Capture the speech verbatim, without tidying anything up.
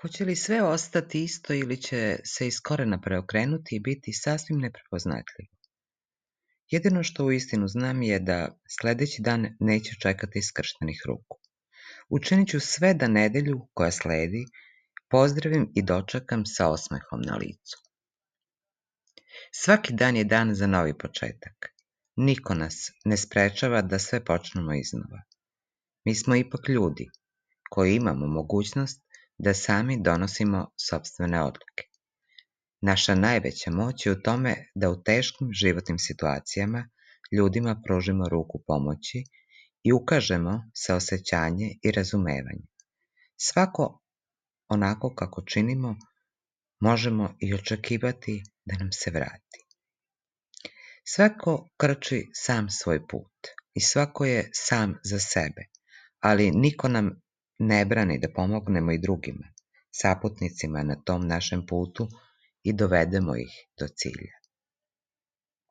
Hoće li sve ostati isto ili će se iz korena preokrenuti i biti sasvim neprepoznatljivo? Jedino što uistinu znam je da sledeći dan neću čekati skrštenih ruku. Učinit ću sve da nedelju koja sledi pozdravim i dočekam sa osmehom na licu. Svaki dan je dan za novi početak. Niko nas ne sprečava da sve počnemo iznova. Mi smo ipak ljudi koji imamo mogućnost da sami donosimo sopstvene odluke. Naša najveća moć je u tome da u teškim životnim situacijama ljudima pružimo ruku pomoći i ukažemo saosećanje i razumevanje. Svako onako kako činimo, možemo i očekivati da nam se vrati. Svako krči sam svoj put i svako je sam za sebe, ali niko nam ne brani da pomognemo i drugima, saputnicima na tom našem putu i dovedemo ih do cilja.